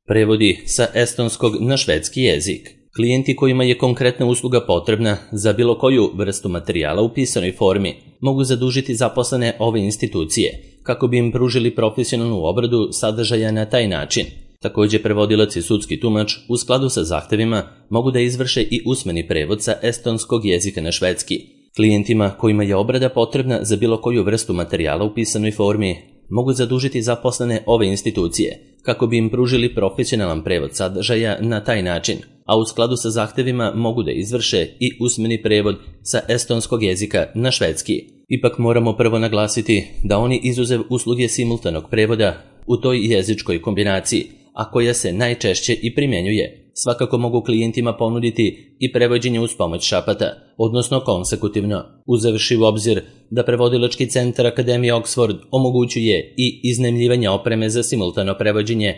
Prevodi sa estonskog na švedski jezik. Klijenti kojima je konkretna usluga potrebna za bilo koju vrstu materijala u pisanoj formi mogu zadužiti zaposlene ove institucije kako bi im pružili profesionalnu obradu sadržaja na taj način. Također prevodilac i sudski tumač u skladu sa zahtevima mogu da izvrše i usmeni prevod sa estonskog jezika na švedski. Klijentima kojima je obrada potrebna za bilo koju vrstu materijala u pisanoj formi mogu zadužiti zaposlene ove institucije kako bi im pružili profesionalan prevod sadržaja na taj način, a u skladu sa zahtevima mogu da izvrše i usmeni prevod sa estonskog jezika na švedski. Ipak moramo prvo naglasiti da oni izuzev usluge simultanog prevoda u toj jezičkoj kombinaciji, a koja se najčešće i primjenjuje, svakako mogu klijentima ponuditi i prevođenje uz pomoć šapata, odnosno konsekutivno, uzevši u obzir da prevodilački centar Akademije Oxford omogućuje i iznajmljivanje opreme za simultano prevođenje.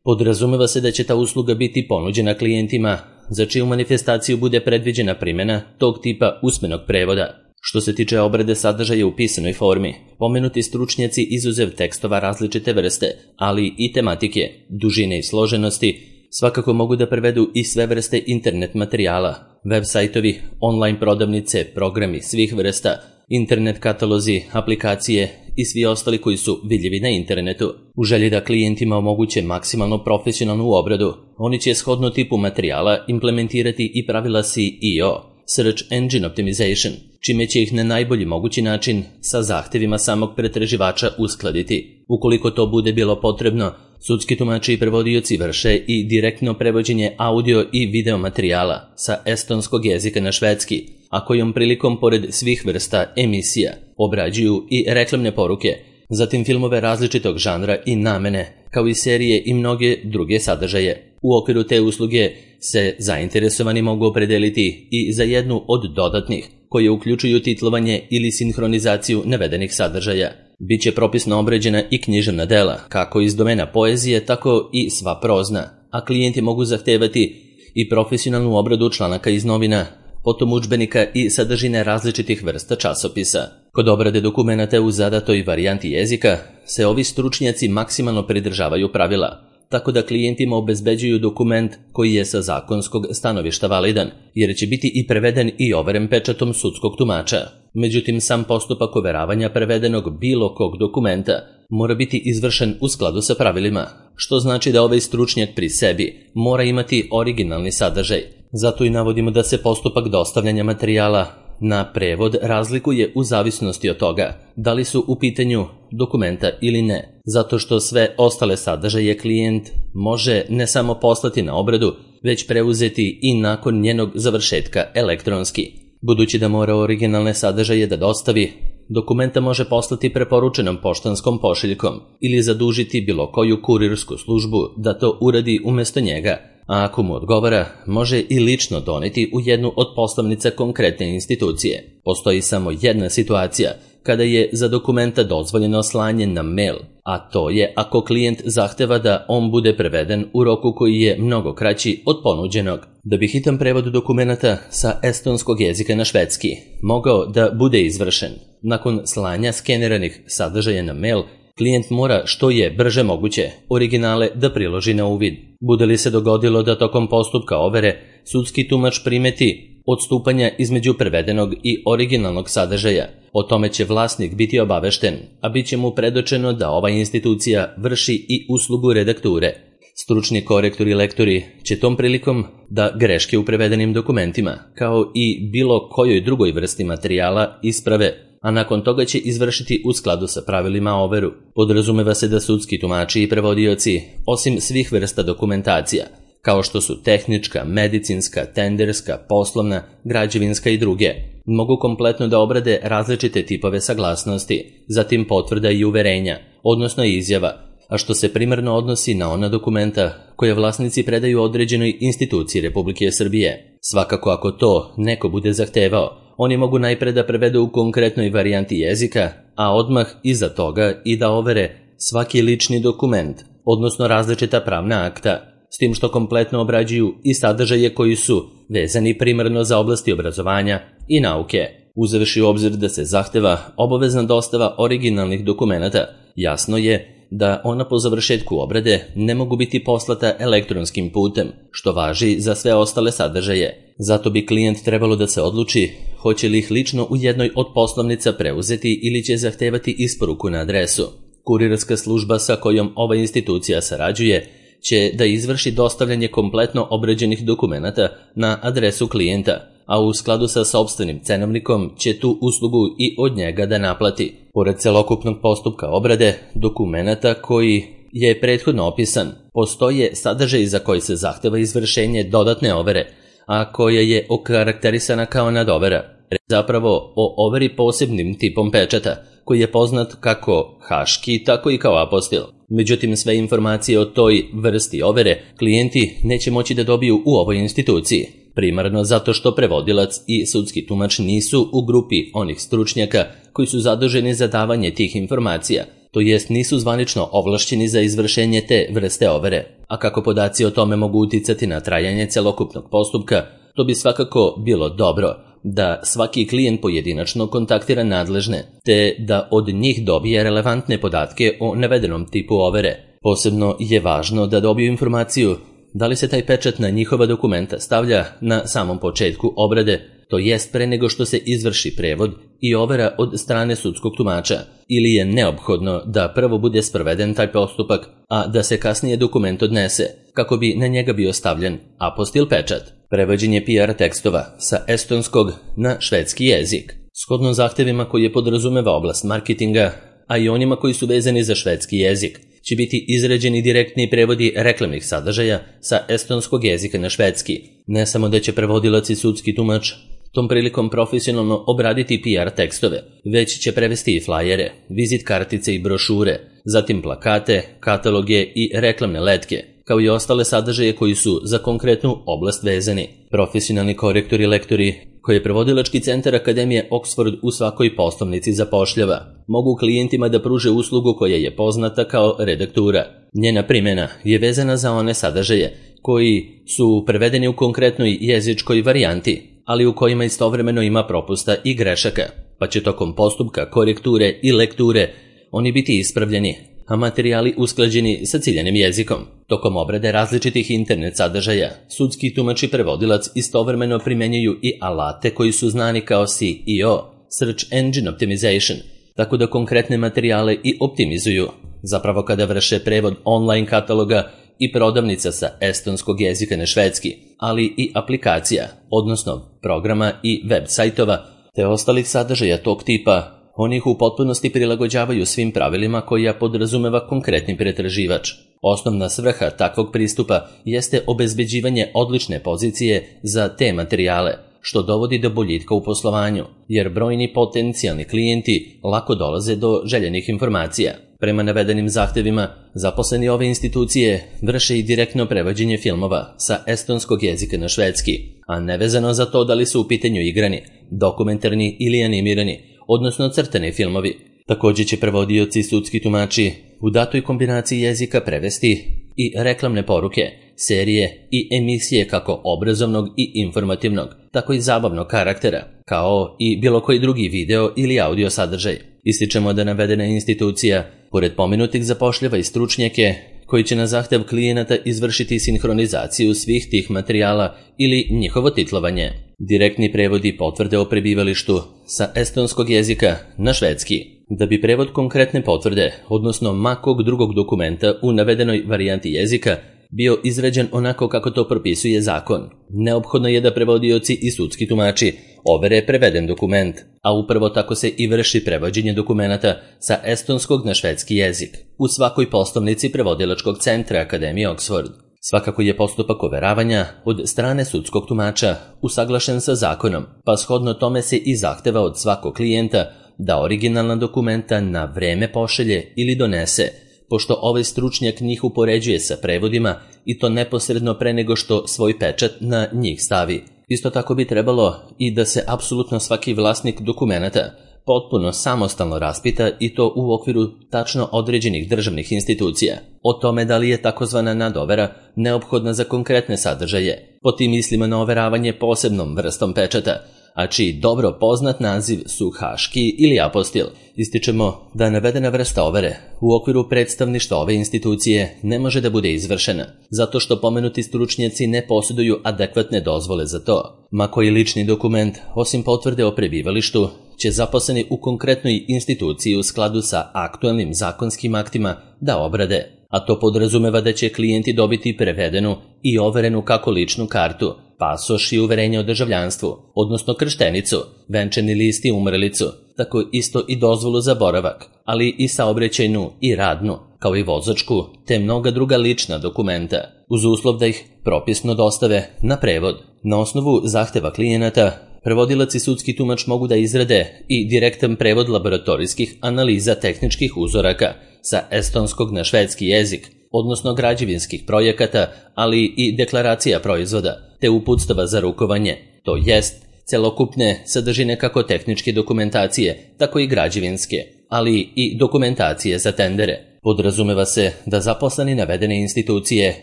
Podrazumeva se da će ta usluga biti ponuđena klijentima za čiju manifestaciju bude predviđena primjena tog tipa usmenog prevoda. Što se tiče obrade sadržaja u pisanoj formi, pomenuti stručnjaci izuzev tekstova različite vrste, ali i tematike, dužine i složenosti, svakako mogu da prevedu i sve vrste internet materijala, web sajtovi, online prodavnice, programi svih vrsta, internet katalozi, aplikacije i svi ostali koji su vidljivi na internetu. U želji da klijentima omoguće maksimalno profesionalnu obradu, oni će shodno tipu materijala implementirati i pravila SEO, Search Engine Optimization, čime će ih na najbolji mogući način sa zahtevima samog pretraživača uskladiti. Ukoliko to bude bilo potrebno, sudski tumači i prevodioci vrše i direktno prevođenje audio i video materijala sa estonskog jezika na švedski, a kojom prilikom pored svih vrsta emisija obrađuju i reklamne poruke, zatim filmove različitog žanra i namene, kao i serije i mnoge druge sadržaje. U okviru te usluge se zainteresovani mogu opredeliti i za jednu od dodatnih, koje uključuju titlovanje ili sinhronizaciju navedenih sadržaja. Biće propisno obrađena i književna dela, kako iz domena poezije, tako i sva prozna, a klijenti mogu zahtevati i profesionalnu obradu članaka iz novina, potom udžbenika i sadržine različitih vrsta časopisa. Kod obrade dokumenata u zadatoj varijanti jezika se ovi stručnjaci maksimalno pridržavaju pravila, tako da klijentima obezbeđuju dokument koji je sa zakonskog stanovišta validan, jer će biti i preveden i overen pečatom sudskog tumača. Međutim, sam postupak overavanja prevedenog bilo kog dokumenta mora biti izvršen u skladu sa pravilima, što znači da ovaj stručnjak pri sebi mora imati originalni sadržaj. Zato i navodimo da se postupak dostavljanja materijala na prevod razlikuje u zavisnosti od toga da li su u pitanju dokumenta ili ne, zato što sve ostale sadržaje klijent može ne samo poslati na obradu, već preuzeti i nakon njenog završetka elektronski. Budući da mora originalne sadržaje da dostavi, dokumenta može poslati preporučenom poštanskom pošiljkom ili zadužiti bilo koju kurirsku službu da to uradi umjesto njega, a ako mu odgovara, može i lično doneti u jednu od poslovnica konkretne institucije. Postoji samo jedna situacija kada je za dokumenta dozvoljeno slanje na mail, a to je ako klijent zahteva da on bude preveden u roku koji je mnogo kraći od ponuđenog. Da bi hitan prevod dokumenata sa estonskog jezika na švedski mogao da bude izvršen nakon slanja skeniranih sadržaja na mail, klijent mora što je brže moguće originale da priloži na uvid. Bude li se dogodilo da tokom postupka overe sudski tumač primeti odstupanja između prevedenog i originalnog sadržaja, o tome će vlasnik biti obavešten, a bit će mu predočeno da ova institucija vrši i uslugu redakture. Stručni korektori i lektori će tom prilikom da greške u prevedenim dokumentima, kao i bilo kojoj drugoj vrsti materijala, isprave, a nakon toga će izvršiti u skladu sa pravilima overu. Podrazumeva se da sudski tumači i prevodioci, osim svih vrsta dokumentacija, kao što su tehnička, medicinska, tenderska, poslovna, građevinska i druge, mogu kompletno da obrade različite tipove saglasnosti, zatim potvrda i uverenja, odnosno izjava, a što se primarno odnosi na ona dokumenta koje vlasnici predaju određenoj instituciji Republike Srbije. Svakako ako to neko bude zahtevao, oni mogu najpre da prevedu u konkretnoj varijanti jezika, a odmah iza toga i da overe svaki lični dokument, odnosno različita pravna akta, s tim što kompletno obrađuju i sadržaje koji su vezani primarno za oblasti obrazovanja i nauke. Uzevši u obzir da se zahteva obavezna dostava originalnih dokumenata, jasno je da ona po završetku obrade ne mogu biti poslata elektronskim putem, što važi za sve ostale sadržaje. Zato bi klijent trebalo da se odluči hoće li ih lično u jednoj od poslovnica preuzeti ili će zahtevati isporuku na adresu. Kurirska služba sa kojom ova institucija sarađuje će da izvrši dostavljanje kompletno obrađenih dokumenata na adresu klijenta, a u skladu sa sopstvenim cenovnikom će tu uslugu i od njega da naplati. Pored celokupnog postupka obrade dokumenata koji je prethodno opisan, postoje sadržaj za koji se zahteva izvršenje dodatne overe, a koja je okarakterisana kao nadovera. Zapravo o overi posebnim tipom pečata, koji je poznat kako haški, tako i kao apostil. Međutim, sve informacije o toj vrsti overe klijenti neće moći da dobiju u ovoj instituciji, primarno zato što prevodilac i sudski tumač nisu u grupi onih stručnjaka koji su zaduženi za davanje tih informacija, to jest nisu zvanično ovlašćeni za izvršenje te vrste overe. A kako podaci o tome mogu uticati na trajanje celokupnog postupka, to bi svakako bilo dobro da svaki klijent pojedinačno kontaktira nadležne, te da od njih dobije relevantne podatke o navedenom tipu overe. Posebno je važno da dobiju informaciju da li se taj pečat na njihova dokumenta stavlja na samom početku obrade, to jest pre nego što se izvrši prevod i overa od strane sudskog tumača, ili je neophodno da prvo bude sproveden taj postupak, a da se kasnije dokument odnese, kako bi na njega bio stavljen apostil pečat. Prevođenje PR tekstova sa estonskog na švedski jezik. Shodno zahtevima koje podrazumeva oblast marketinga, a i onima koji su vezani za švedski jezik, će biti izrađeni direktni prevodi reklamnih sadržaja sa estonskog jezika na švedski. Ne samo da će prevodilac i sudski tumač tom prilikom profesionalno obraditi PR tekstove, već će prevesti i flajere, vizit kartice i brošure, zatim plakate, kataloge i reklamne letke, kao i ostale sadržaje koji su za konkretnu oblast vezani. Profesionalni korektori i lektori koje prevodilački centar Akademije Oxford u svakoj poslovnici zapošljava, mogu klijentima da pruže uslugu koja je poznata kao redaktura. Njena primjena je vezana za one sadržaje koji su prevedeni u konkretnoj jezičkoj varijanti, ali u kojima istovremeno ima propusta i grešaka, pa će tokom postupka korekture i lekture oni biti ispravljeni, a materijali usklađeni sa ciljanim jezikom. Tokom obrade različitih internet sadržaja, sudski tumač i prevodilac istovremeno primjenjuju i alate koji su znani kao SEO, Search Engine Optimization, tako da konkretne materijale i optimizuju. Zapravo kada vrše prevod online kataloga i prodavnica sa estonskog jezika na švedski, ali i aplikacija, odnosno programa i web sajtova, te ostalih sadržaja tog tipa, oni ih u potpunosti prilagođavaju svim pravilima koja podrazumeva konkretni pretraživač. Osnovna svrha takvog pristupa jeste obezbeđivanje odlične pozicije za te materijale, što dovodi do boljitka u poslovanju, jer brojni potencijalni klijenti lako dolaze do željenih informacija. Prema navedenim zahtevima, zaposleni ove institucije vrše i direktno prevođenje filmova sa estonskog jezika na švedski, a nevezano za to da li su u pitanju igrani, dokumentarni ili animirani, odnosno crtani filmovi. Također će prevodioci i sudski tumači u datoj kombinaciji jezika prevesti i reklamne poruke, serije i emisije kako obrazovnog i informativnog, tako i zabavnog karaktera, kao i bilo koji drugi video ili audio sadržaj. Ističemo da navedena institucija, pored pomenutih, zapošljava i stručnjake koji će na zahtev klijenata izvršiti sinhronizaciju svih tih materijala ili njihovo titlovanje. Direktni prevodi potvrde o prebivalištu sa estonskog jezika na švedski. Da bi prevod konkretne potvrde, odnosno makog drugog dokumenta u navedenoj varijanti jezika, bio izrađen onako kako to propisuje zakon, neophodno je da prevodioci i sudski tumači overe preveden dokument, a upravo tako se i vrši prevođenje dokumenata sa estonskog na švedski jezik u svakoj poslovnici prevodilačkog centra Akademije Oxford. Svakako je postupak overavanja od strane sudskog tumača usaglašen sa zakonom, pa shodno tome se i zahteva od svakog klijenta da originalna dokumenta na vreme pošalje ili donese, pošto ovaj stručnjak njih upoređuje sa prevodima i to neposredno pre nego što svoj pečat na njih stavi. Isto tako bi trebalo i da se apsolutno svaki vlasnik dokumenata potpuno samostalno raspita i to u okviru tačno određenih državnih institucija o tome da li je takozvana nadovera neophodna za konkretne sadržaje. Po tim mislimo na overavanje posebnom vrstom pečata, a čiji dobro poznat naziv su haški ili apostil. Ističemo da navedena vrsta overe u okviru predstavništva ove institucije ne može da bude izvršena, zato što pomenuti stručnjaci ne posjeduju adekvatne dozvole za to. Ma koji lični dokument, osim potvrde o prebivalištu, će zaposleni u konkretnoj instituciji u skladu sa aktualnim zakonskim aktima da obrade, a to podrazumeva da će klijenti dobiti prevedenu i overenu kako ličnu kartu, pasoš i uverenje o državljanstvu, odnosno krštenicu, venčani list i umrlicu, tako isto i dozvolu za boravak, ali i saobraćajnu i radnu, kao i vozačku, te mnoga druga lična dokumenta, uz uslov da ih propisno dostave na prevod. Na osnovu zahteva klijenata, prevodilac i sudski tumač mogu da izrade i direktan prevod laboratorijskih analiza tehničkih uzoraka sa estonskog na švedski jezik, odnosno građevinskih projekata, ali i deklaracija proizvoda, te uputstava za rukovanje, to jest celokupne sadržine kako tehničke dokumentacije, tako i građevinske, ali i dokumentacije za tendere. Podrazumeva se da zaposleni navedene institucije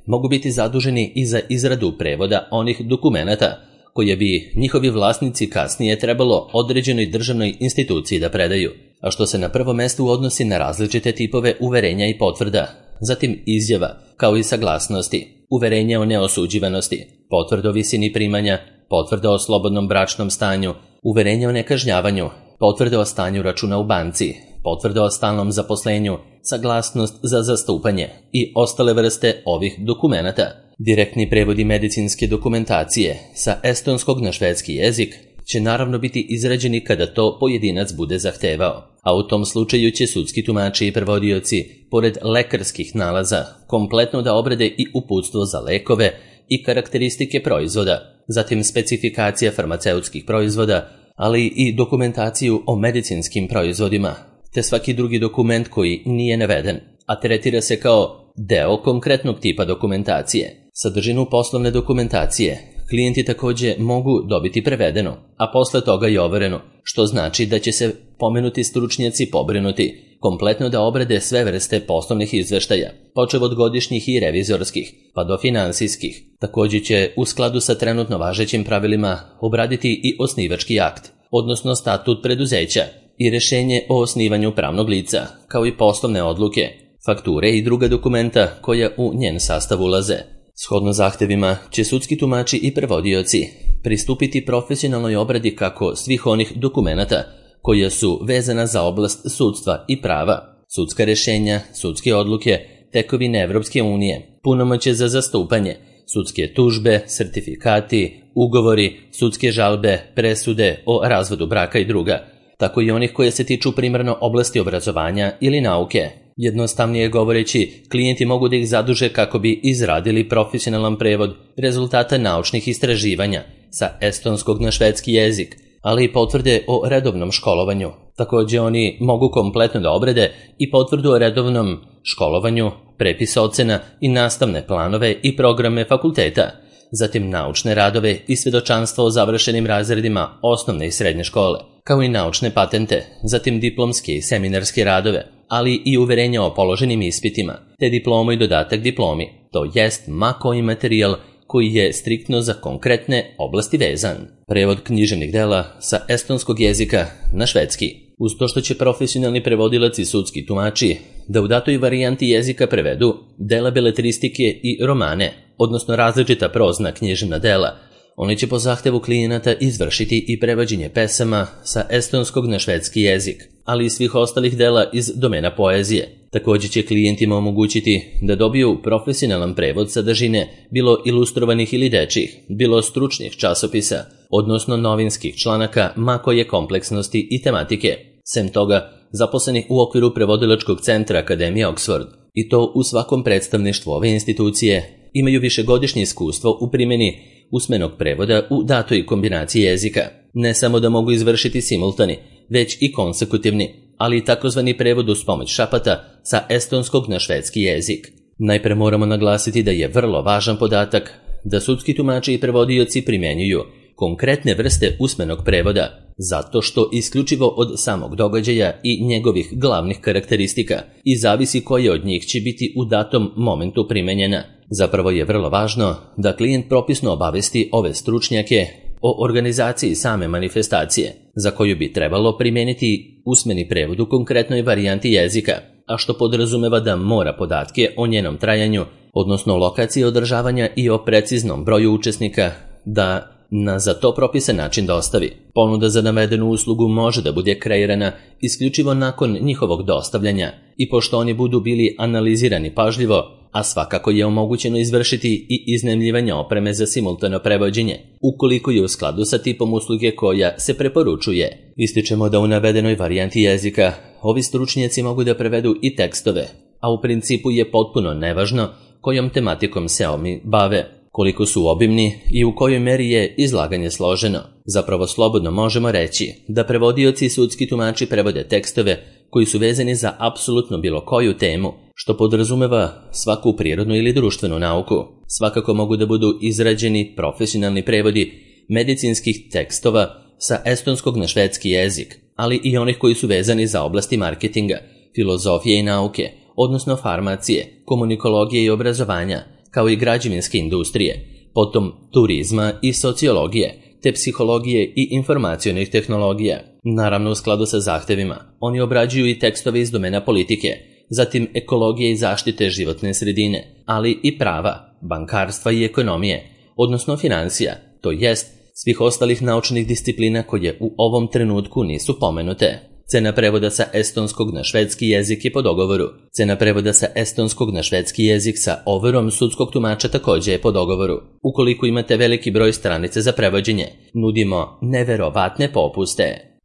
mogu biti zaduženi i za izradu prevoda onih dokumenata koje bi njihovi vlasnici kasnije trebalo određenoj državnoj instituciji da predaju, a što se na prvo mesto odnosi na različite tipove uverenja i potvrda, zatim izjava, kao i saglasnosti, uverenja o neosuđivanosti, potvrda o visini primanja, potvrda o slobodnom bračnom stanju, uverenja o nekažnjavanju, potvrda o stanju računa u banci, potvrda o stalnom zaposlenju, saglasnost za zastupanje i ostale vrste ovih dokumenata. Direktni prevodi medicinske dokumentacije sa estonskog na švedski jezik će naravno biti izrađeni kada to pojedinac bude zahtevao, a u tom slučaju će sudski tumači i prevodioci, pored lekarskih nalaza, kompletno da obrade i uputstvo za lekove i karakteristike proizvoda, zatim specifikacija farmaceutskih proizvoda, ali i dokumentaciju o medicinskim proizvodima, te svaki drugi dokument koji nije naveden, a tretira se kao deo konkretnog tipa dokumentacije. Sadržinu poslovne dokumentacije klijenti također mogu dobiti prevedeno, a posle toga i overeno, što znači da će se pomenuti stručnjaci pobrinuti kompletno da obrade sve vrste poslovnih izveštaja, počev od godišnjih i revizorskih, pa do finansijskih. Također će u skladu sa trenutno važećim pravilima obraditi i osnivački akt, odnosno statut preduzeća i rješenje o osnivanju pravnog lica, kao i poslovne odluke, fakture i druga dokumenta koja u njen sastav ulaze. Shodno zahtevima će sudski tumači i prevodioci pristupiti profesionalnoj obradi kako svih onih dokumenata koja su vezana za oblast sudstva i prava, sudska rješenja, sudske odluke, tekovine Evropske unije, punomoćje za zastupanje, sudske tužbe, sertifikati, ugovori, sudske žalbe, presude o razvodu braka i druga, tako i onih koje se tiču primarno oblasti obrazovanja ili nauke. Jednostavnije govoreći, klijenti mogu da ih zaduže kako bi izradili profesionalan prevod rezultata naučnih istraživanja sa estonskog na švedski jezik, ali i potvrde o redovnom školovanju. Također oni mogu kompletno da obrade i potvrdu o redovnom školovanju, prepis ocena i nastavne planove i programe fakulteta, zatim naučne radove i svjedočanstvo o završenim razredima osnovne i srednje škole, kao i naučne patente, zatim diplomske i seminarske radove, ali i uverenja o položenim ispitima, te diplomu i dodatak diplomi, to jest ma koji materijal koji je striktno za konkretne oblasti vezan. Prevod književnih dela sa estonskog jezika na švedski. Uz to što će profesionalni prevodilac i sudski tumači da u datoj varijanti jezika prevedu dela beletristike i romane, odnosno različita prozna književna dela, oni će po zahtevu klijenata izvršiti i prevođenje pesama sa estonskog na švedski jezik, ali i svih ostalih dela iz domena poezije. Također će klijentima omogućiti da dobiju profesionalan prevod sadržine, bilo ilustrovanih ili dečjih, bilo stručnih časopisa, odnosno novinskih članaka ma koje kompleksnosti i tematike. Sem toga, zaposleni u okviru prevodilačkog centra Akademije Oxford, i to u svakom predstavništvu ove institucije, imaju višegodišnje iskustvo u primjeni usmenog prevoda u datoj kombinaciji jezika. Ne samo da mogu izvršiti simultani, već i konsekutivni, ali i takozvani prevod uz pomoć šapata sa estonskog na švedski jezik. Najpre moramo naglasiti da je vrlo važan podatak da sudski tumači i prevodioci primjenjuju konkretne vrste usmenog prevoda, zato što isključivo od samog događaja i njegovih glavnih karakteristika i zavisi koje od njih će biti u datom momentu primenjena. Zapravo je vrlo važno da klijent propisno obavesti ove stručnjake o organizaciji same manifestacije, za koju bi trebalo primijeniti usmeni prevod u konkretnoj varijanti jezika, a što podrazumeva da mora podatke o njenom trajanju, odnosno lokaciji održavanja i o preciznom broju učesnika, da na za to propisan način dostavi. Ponuda za navedenu uslugu može da bude kreirana isključivo nakon njihovog dostavljanja i pošto oni budu bili analizirani pažljivo, a svakako je omogućeno izvršiti i iznajmljivanje opreme za simultano prevođenje, ukoliko je u skladu sa tipom usluge koja se preporučuje. Ističemo da u navedenoj varijanti jezika ovi stručnjaci mogu da prevedu i tekstove, a u principu je potpuno nevažno kojom tematikom se oni bave, koliko su obimni i u kojoj meri je izlaganje složeno. Zapravo slobodno možemo reći da prevodioci i sudski tumači prevode tekstove koji su vezani za apsolutno bilo koju temu, što podrazumeva svaku prirodnu ili društvenu nauku. Svakako mogu da budu izrađeni profesionalni prevodi medicinskih tekstova sa estonskog na švedski jezik, ali i onih koji su vezani za oblasti marketinga, filozofije i nauke, odnosno farmacije, komunikologije i obrazovanja, kao i građevinske industrije, potom turizma i sociologije, te psihologije i informacionih tehnologija. Naravno u skladu sa zahtevima, oni obrađuju i tekstove iz domena politike, zatim ekologije i zaštite životne sredine, ali i prava, bankarstva i ekonomije, odnosno financija, to jest svih ostalih naučnih disciplina koje u ovom trenutku nisu pomenute. Cena prevoda sa estonskog na švedski jezik je po dogovoru. Cena prevoda sa estonskog na švedski jezik sa overom sudskog tumača također je po dogovoru. Ukoliko imate veliki broj stranice za prevođenje, nudimo neverovatne popuste.